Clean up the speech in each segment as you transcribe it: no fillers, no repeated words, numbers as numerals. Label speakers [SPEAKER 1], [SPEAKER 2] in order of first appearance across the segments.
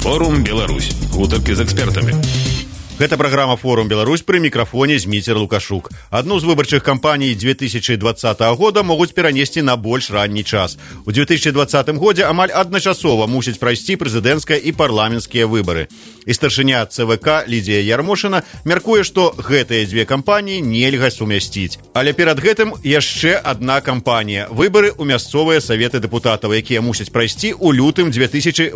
[SPEAKER 1] Форум Беларусь. Гутаркі з экспертамі. Гэта праграма «Форум Беларусь», пры мікрафоне Зміцер Лукашук. Адну з выбарчых кампаній 2020 года могуць перанесці на больш ранні час. У 2020 годзе амаль адначасова мусяць прайсці прэзідэнцкія і парламенцкія выбары. І старшыня ЦВК Лідія Ярмошына мяркуе, што гэтыя дзве кампаніі нельга сумясціць. Але перад гэтым яшчэ адна кампанія – выбары ў мясцовыя саветы дэпутатаў, якія мусяць прайсці ў лютым 2018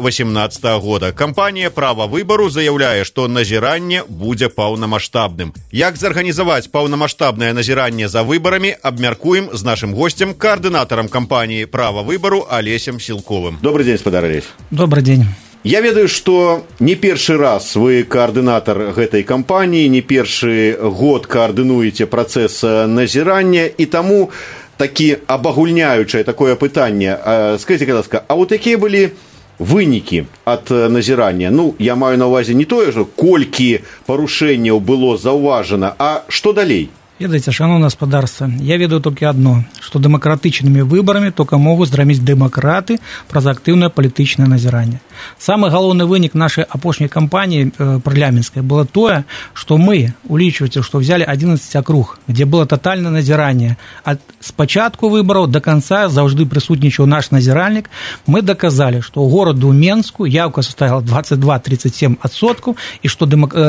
[SPEAKER 1] года. Кампанія «Права выбару» заяўляе, што назіранне будзе паўнамаштабным. Як зарганізаваць паўнамаштабнае назіранне за выбарамі, абмяркуем з нашым госцем, каардынатарам кампаніі «Права выбару» Алесем Сілковым. Добрый день, спадар Алесь.
[SPEAKER 2] Добрый день.
[SPEAKER 1] Я ведаю, што не першы раз вы каардынатар гэтай кампаніі, не першы год каардынуеце працэс назірання, і таму такі абагульняючае такое пытанне. Скажите, будь ласка, а вот якія былі вынікі ад назірання? Ну, я маю на ўвазе не тое, што колькі парушэнняў было заўважана, а што далей?
[SPEAKER 2] Ведаеце, шановное господарство, я ведаю толькі адно, што дэмакратычнымі выбарамі толькі могуць зраміць дэмакраты праз актыўнае палітычнае назіранне. Самы галоўны вынік нашай апошняй кампаніі парламенцкай было тое, што мы, улічваеце, што взяли 11 акруг, где было тотальное назіранне. С пачатку выбараў до конца заўжды прысутнічаў наш назіральнік. Мы доказали, што ў гораду Менску яўка составила 22-37%, і што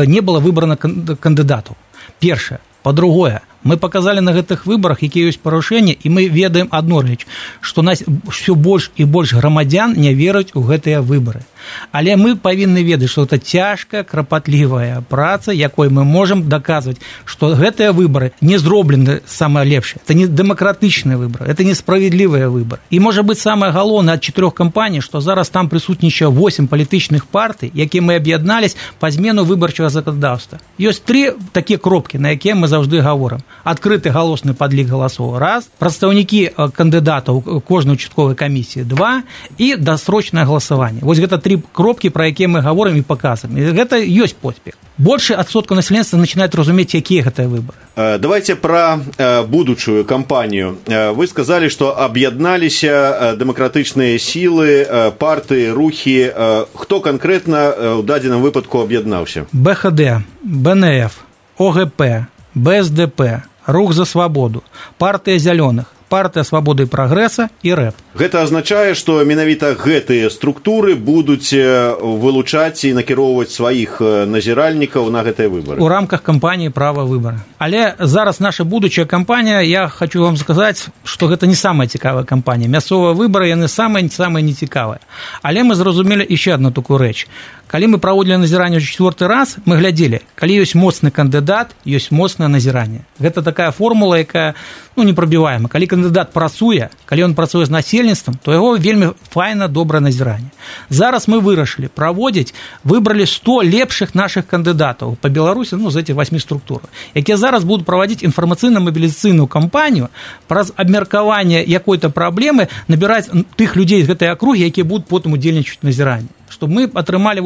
[SPEAKER 2] не было выбрана кандыдатаў. Першае. По-другое, мы показали на гэтых выборах, якія ёсць парушэнні, і мы ведаем адну рэч, што нас ўсё больш і больш грамадзян не веруць у гэтыя выбары. Але мы павінны ведаць, што это цяжкая, крапатлівая праца, якой мы можам даказваць, што гэтыя выбары не зроблены самае лепшае. Это не дэмакратычныя выбары, это несправедлівыя выбары. І можа быць самае галоўнае ад 4 кампаній, што зараз там прысутнічае 8 палітычных партый, якія мы аб'яднались па змену выбарчага заканадаўства. Ёсць 3 такія кропкі, на якія мы заўжды гаворым. Адкрыты галосны падлік галасоў – 1, прадстаўнікі кандыдатаў кожнай участковай камісіі – 2, і дасрочнае галасаванне. Вось гэта 3 кропкі, пра якія мы гаворым і паказваем. І гэта ёсць поспех. Больше адсотка насельніцтва начинает разумець, якія гэтыя выборы.
[SPEAKER 1] Давайте про будучую кампанію. Вы сказали, што аб'ядналіся дэмакратычныя сілы, партыі, рухі. Хто канкрэтна ў дадзеным выпадку аб'яднаўся?
[SPEAKER 2] БХД, БНФ, ОГП, БСДП, Рух за свабоду, партыя зялёных, партыя свабоды і прагрэса і РЭП.
[SPEAKER 1] Гэта азначае, што менавіта гэтыя структуры будуць вылучаць і накіроўваць сваіх назіральнікаў на гэтыя выбары.
[SPEAKER 2] У рамках кампаніі «Права выбара». Але зараз наша будучая кампанія, я хочу вам сказаць, што гэта не самая цікавая кампанія. Мясцовыя выбары, яны самыя нецікавыя. Але мы зразумелі яшчэ адну такую рэч. Калі мы праводзілі назіранне ў 4-й раз, мы глядзелі, калі ёсць моцны кандыдат, ёсць моцнае назіранне. Гэта такая формула, якая непрабіваема. Калі кандыдат працуе, калі ён працуе з насельніцтвам, то яго вельмі файна, добрае назіранне. Зараз мы вырашылі праводзіць, выбралі 100 лепшых нашых кандыдатаў па Беларусі, з этих 8 структур, якія зараз будуць праводзіць інфармацыйна-мабілізацыйную кампанію праз абмеркаванне якой-то праблемы, набіраць тых людзей з гэтай акругі, якія будуць потым удзельнічаць у назіранні. Чтобы мы атрымалі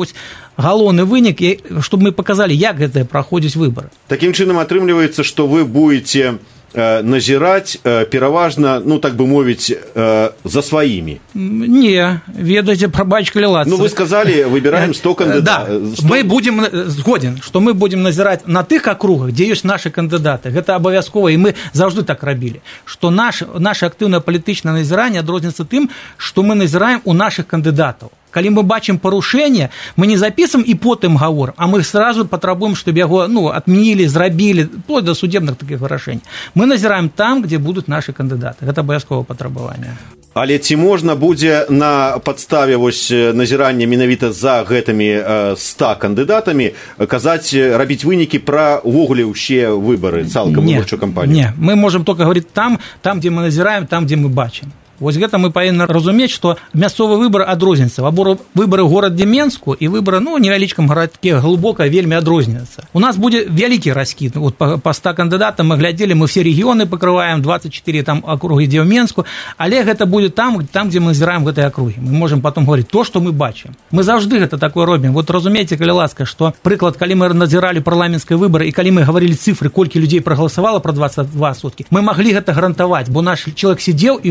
[SPEAKER 2] галоўны вынік, чтобы мы показали, як гэта праходзіць выборы.
[SPEAKER 1] Таким чынам атрымліваецца, што вы будете назіраць пераважна, так бы мовіць, за сваімі.
[SPEAKER 2] Не, ведаеце, прабачка лілацца.
[SPEAKER 1] Вы сказали, выбираем 100 кандидатов.
[SPEAKER 2] Да, мы будем, згоден, што мы будем назіраць на тых акругах, дзе ёсць нашы кандыдаты. Гэта абавязкова, і мы заўжды так рабілі. Што наше актыўнае палітычнае назіранне адрозніваецца тым, што мы назіраем у нашых кандыдатаў. Калі мы бачым парушэнне, мы не запісваем і потым гаворым, а мы сразу патрабуем, чтобы яго адмянілі, зрабілі, вплоть до судебных таких вырашэнь. Мы назіраем там, где будуць нашы кандыдаты. Гэта абавязковае патрабаванне.
[SPEAKER 1] Але ці можна будзе на падставе назірання менавіта за гэтымі 100 кандыдатамі казаць, рабіць вынікі пра увогуле ўсе выбары, цалкам выбарчую кампанію?
[SPEAKER 2] Не, мы можем только говорить там, где мы назіраем, там, где мы бачым. Вось гэта мы павінны разумець, што мясцовыя выбары адрозніваюцца. Выбары ў горадзе Менску і выбары невялічкім гарадке глыбока вельмі адрозніваюцца. У нас будзе вялікі раскід. Па 100 кандыдатам мы глядзелі, мы все рэгіёны пакрываем, 24 там акругі, дзе ў Менску, але гэта будзе там, дзе мы назіраем гэтыя акругі. Мы можем потом говорить то, што мы бачым. Мы заўжды гэта такое робім. Разумееце, калі ласка, што прыклад, калі мы назіралі парламенцкія выбары і калі мы гаварылі цифры, колькі людзей прагаласавала пра 22%, мы маглі гэта гарантаваць, бо наш чалавек сидзеў і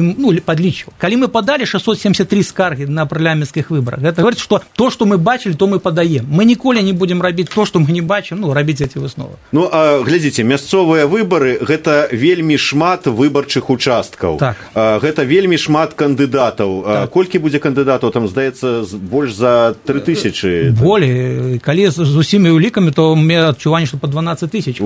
[SPEAKER 2] подлічваў. Калі мы падалі 673 скаргі на парламенцкіх выбарах, гэта говорит, што то, што мы бачылі, то мы падаем. Мы ніколі не будзем рабіць то, што мы не бачым, рабіць эти высновы.
[SPEAKER 1] Глядзіце, мясцовыя выбары гэта вельмі шмат выбарчых участкаў.
[SPEAKER 2] Так.
[SPEAKER 1] Гэта вельмі шмат кандыдатаў. Так. Колькі будзе кандыдатаў? Там, здаецца, больш за 3000.
[SPEAKER 2] Болей. Калі з усімі улікамі, то у меня адчуванне, што па 12 тысяч.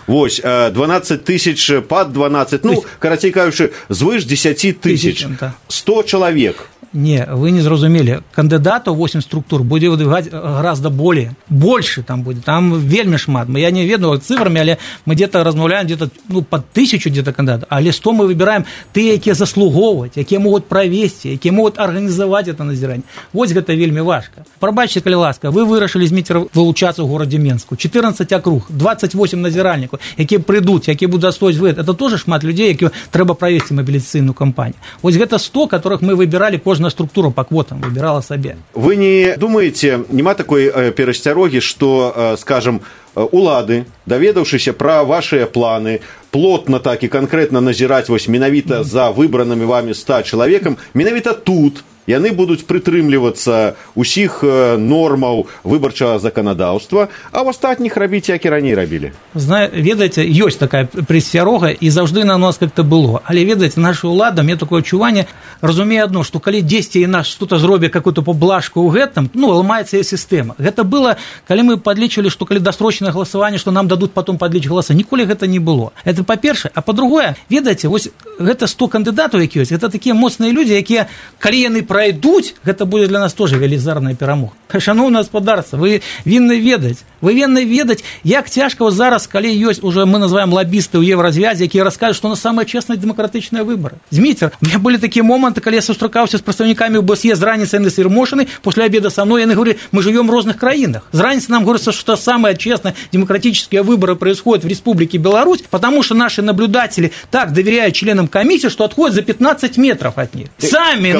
[SPEAKER 1] Вось, 12 тысяч, пад 12, карацей кажучы, звыш 10 тысяч. 100 чалавек.
[SPEAKER 2] Не, вы не зразумелі. Кандыдатаў 8 структур будзе выдвигаць гораздо более. Больше там будзе. Там вельмі шмат. Я не ведаю цифрами, але мы где-то размаўляем где-то под 1000 где-то кандыдатаў. Але 100 мы выбираем тыя, якія заслугоўваць, якія могуць правесці, якія могуць арганізаваць это назіранне. Вось гэта вельмі важка. Прабачце, калі ласка, вы вырашылі з Міцера вылучацца ў горадзе Менску. 14 акруг, 28 назіральнікаў, якія прыйдуць, якія будуць адстойваць вы. Это тоже шмат людзей, якія трэба правесці мабілізацыйную кампанію. Вось гэта 100, которых мы выбіралі кожна структура по квотам выбирала себе.
[SPEAKER 1] Вы не думаете, нема такой перасцярогі, што, скажем, улады, даведаўшыся пра вашыя планы, плотна так і канкрэтна назіраць вось менавіта за выбранымі вамі 100 чалавекам, менавіта тут яны будуць прытрымлівацца ўсіх нормаў выбарчага заканадаўства, а ў астатніх рабіць, як і раней рабілі.
[SPEAKER 2] Ведаеце, ёсць такая прысцярога, і заўжды на нас как-то было. Але, ведаеце, наша ўлада, мне такое адчуванне, разумее адно, што калі дзесьці і нас што-то зробяць какую-то поблажку ў гэтым, ламаецца і сістэма. Гэта было, калі мы падлічвалі, што калі дасрочнае галасаванне, што нам дадуць потом падліч галасы. Ніколі гэта не было. Это па-першае. А па-другое, ведаеце, вось гэта 100 кандыдатаў, які ёсць, гэта такія моцныя людзі, якія, калі яны пройдуць, гэта будзе для нас тоже велізарная перамога. Шановное гаспадарства, вы вінны ведаць, як цяжка зараз, калі ёсць уже мы называем лоббісты ў Евразвязе, якія раскажуць, што у нас самыя честныя дэмакратычныя выбары. Зміцер, у меня былі такія моманты, калі я сустракаўся з прадстаўнікамі ОБСЕ з раніцы яны сырмошаны, после обеда со мной яны говорили, мы живем в разных краинах. З раніцы нам говорится, что самые честные демократические выборы происходят в Республике Беларусь, потому что наши наблюдатели так доверяют членам комиссии, что отходят за 15 метров от них. Сами,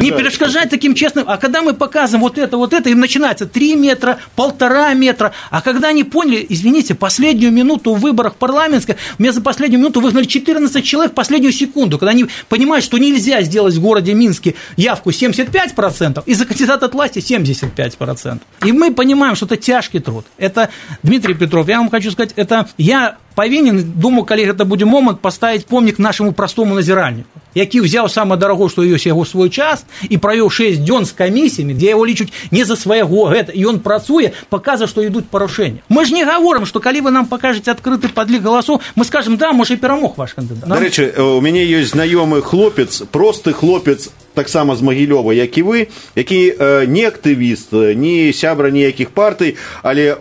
[SPEAKER 2] не перешкажать таким честным. А когда мы показываем вот это, им начинается 3 метра, 1,5 метра. А когда они поняли, извините, последнюю минуту в выборах парламентских, меня за последнюю минуту выгнали 14 человек в последнюю секунду, когда они понимают, что нельзя сделать в городе Минске явку 75%, и за кандидата от власти 75%. И мы понимаем, что это тяжкий труд. Это, Дмитрий Петров, я вам хочу сказать, это я павінен, думаю, калі гэта будзе момант, паставіць помнік нашаму простому назіральніку, які ўзяў самае дарагое, што ёсць яго свой час, і правёў 6 дзён з камісіямі, дзе яго лічуць не за свайго гэта, і ён працуе, паказвае, што ідуць парушэнні. Мы ж не гаворым, што калі вы нам пакажаце адкрыты падлік галасоў, мы скажем, да, можа, і перамог ваш кандыдат.
[SPEAKER 1] Дарэчы, у мяне ёсць знаёмы хлопец, просты хлопец, таксама з Магілёва, як і вы, які не актывіст, не сябра ніякіх партый, але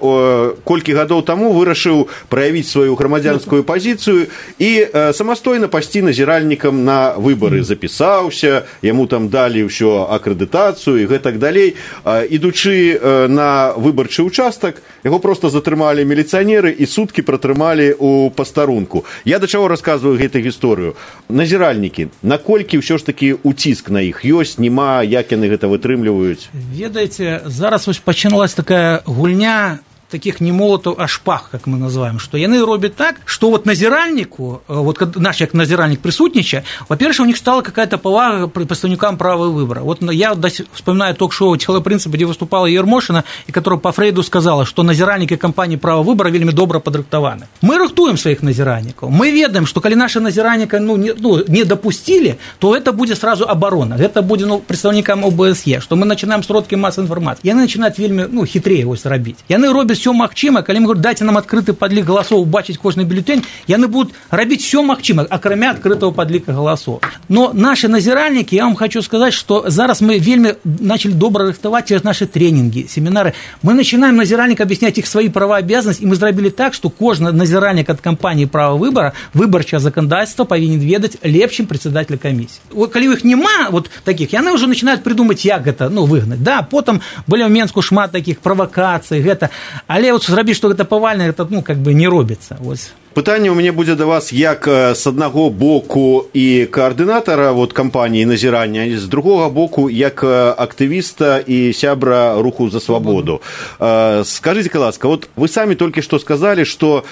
[SPEAKER 1] колькі гадоў таму вырашыў праявіць сваю грамадзянскую пазіцыю і самастойна пайсці назіральнікам на выбары. Запісаўся, яму там далі ўсё акрэдытацыю і гэтак далей. Ідучы на выбарчы ўчастак, яго проста затрымалі міліцыянеры і суткі пратрымалі ў пастарунку. Я да чаго расказваю гэту гісторыю? Назіральнікі, наколькі ўсё ж такі уціск на іх ёсць, нема, як яны гэта вытрымліваюць?
[SPEAKER 2] Ведаеце, зараз вось пачыналась такая гульня таких не молотов, а шпаг, как мы называем, что яны робят так, что вот назиральнику, вот наш як назиральник присутничая, во-первых, у них стала какая-то повага представникам права выбора. Вот я вспоминаю ток-шоу «Тело принципа», где выступала Ермошина, и которая по Фрейду сказала, что назиральники кампании права выбора вельмі добра падрыхтаваны. Мы рыхтуем своих назиральников. Мы ведаем, что коли наши назиральника не допустили, то это будет сразу оборона. Это будет представникам ОБСЕ, что мы начинаем сродки массовой информации. Яны начинают вельмі хитрее ось робить. Яны робят все магчыма, калі мы говорим, дайте нам адкрыты падлік галасоў, убачыць кожны бюлетень, яны будут робить все магчыма, акрамя адкрытого падліка галасоў. Но наши назиральники, я вам хочу сказать, что зараз мы вельмі начали добра рыхтаваць через наши тренинги, семинары. Мы начинаем назиральникам объяснять их свои права и обязанности, и мы зрабілі так, что кожны назиральник от компании права выбора, выбарчае законодательство повинен ведать лепшим председателя комиссии. Вот, калі их нема вот таких, яны уже начинают придумать, як гэта выгнать. Да, потом были в Менску шмат таких провокаций, гэта. Але вот зрабіць, што гэта павальна, гэта не робіцца. Вось.
[SPEAKER 1] Пытанне ў мяне будзе да вас як з аднаго боку і каардынатара кампаніі назірання, з другога боку як актывіста і сябра руху за свабоду. Скажыце, ласка, вот вы самі толькі што сказалі, што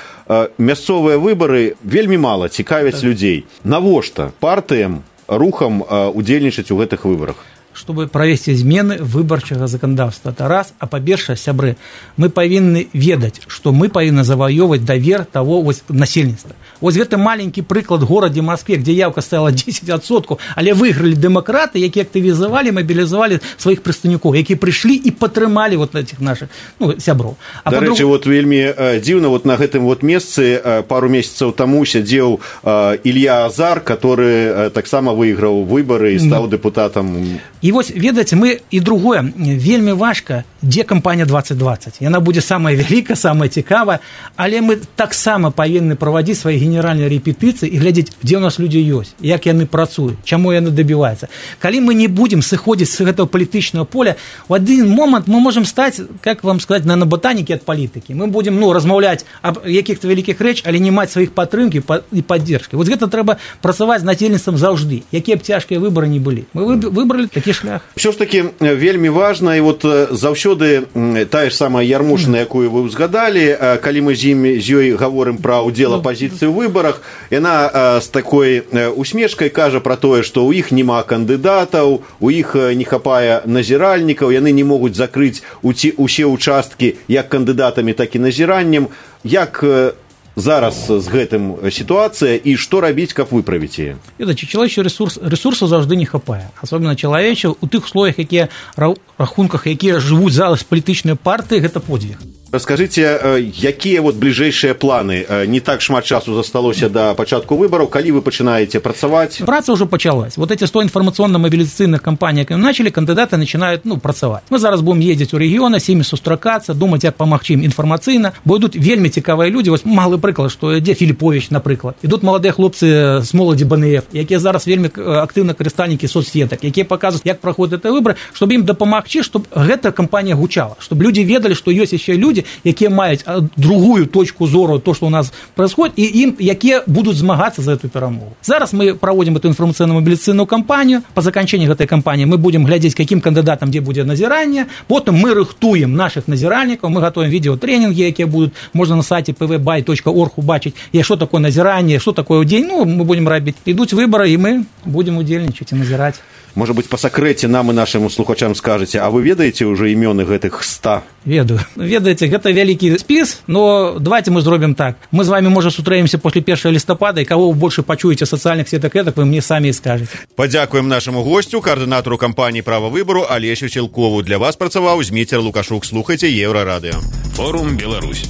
[SPEAKER 1] мясцовыя выбары вельмі мала цікавяць людзей. Навошта партыям рухам удзельнічаць у гэтых выбарах?
[SPEAKER 2] Чтобы провести змены выбарчага законодаўства. Это раз. А па-першае, сябры, мы павінны ведаць, што мы павінны заваёўваць давер таго насельніцтва. Вось гэты маленькі прыклад горадзе Маскве, где явка стала 10%, але выйгралі дэмакраты, якія актывізавалі, мабілізавалі сваіх прадстаўнікоў, якія прыйшлі і падтрымалі вот этих наших сяброў.
[SPEAKER 1] Дарэчы, вот вельмі дзіўна, вот на гэтым вот месцы пару месяцаў таму сядзеў Ілья Азар, который таксама выйграў выбары і стаў дэпутатам.
[SPEAKER 2] І вось, ведаеце, мы і другое, вельмі важка, дзе кампанія 2020. Яна будзе самая вялікая, самая цікавая, але мы таксама павінны правадзіць свае генеральныя рэпетыцыі і глядзець, дзе ў нас людзі ёсць, як яны працуюць, чаму яны дабіваюцца. Калі мы не будзем сыходзіць з гэтага палітычнага поля, у адзін момант мы можам стаць, как вам сказаць, на ботанікі ад палітыкі. Мы будзем размаўляць аб якіх-то вялікіх рэч, але не маць сваіх падтрымкі і паддзержкі. Вот гэта трэба працаваць з насельніцтвам заўжды, якія б цяжкія выбары не былі. Мы выбралі такі шлях.
[SPEAKER 1] Все ж таки вельмі важна, і вот заўсёды тая ж самая Ярмошына, якую вы ўзгадалі, калі мы з ёй гаворым пра ўдзел апазіцыі ў выбарах, яна з такой усмешкай кажа пра тое, што ў іх няма кандыдатаў, у іх не хапае назіральнікаў, яны не могуць закрыць усе ўчасткі як кандыдатамі, так і назіраннем. Як зараз з гэтым сітуацыя і што рабіць, каб выправіць яе?
[SPEAKER 2] Ведаце, чалавечы ресурсаў заўжды не хапае. Асобна чалавечы у тых условиях, якія рахунках, якія жывуць зараз палітычныя партыі, гэта подзвіг.
[SPEAKER 1] Раскажыце, якія вот бліжэйшыя планы? Не так шмат часу засталося до пачатку выбораў, калі вы пачинаете працаваць?
[SPEAKER 2] Праца уже почалась. Вот эти 100 информационно-мобилизационных кампаний, которые начали, кандидаты начинают працаваць. Мы зараз будем ездить у региона, с ними сустракацца, думать, як памагчы ім інфармацыйна. Бо ідуць вельмі цікавыя людзі. Вось малы прыклад, што ідзе Філіповіч, напрыклад. Ідуць маладыя хлопцы з моладзі БНФ, якія зараз вельмі актыўна карыстальнікі соцсетак, якія паказваюць, як праходзяць гэтыя выбары, чтобы ім дапамагчы, чтобы гэта кампанія гучала, чтобы люди ведали, что ёсць яшчэ люди, якія маюць другую точку зору, то, что у нас происходит, и им, якія будут змагацца за эту перамогу. Зараз мы проводим эту информационно-мобилизационную кампанию. По заканчэнні гэтай кампании мы будем глядзець, каким кандидатам где будет назиранне. Потом мы рыхтуем наших назиральников, мы готовим видеотренинги, якія будут, можно на сайте pvbuy.org убачить, что такое назирание, что такое день. Мы будем робить. Идут выборы, и мы будем удзельнічаць и назирать.
[SPEAKER 1] Может быть, по сакрэце нам и нашим слухачам скажете, а вы ведаеце уже імёны гэтых 100?
[SPEAKER 2] Ведаю. Ведаеце, гэта вялікі спіс, но давайте мы зробім так. Мы з вами, можа, сутрэемся после 1 лістапада, і кого вы больше пачуеце в сацыяльных сетах, вы мне самі і скажете.
[SPEAKER 1] Падзякуем нашаму гостю, координатору кампании «Право выбору» Олесю Сілкову. Для вас працаваў Зміцер Лукашук. Слухайте Еврорадио.
[SPEAKER 3] Форум Беларусь.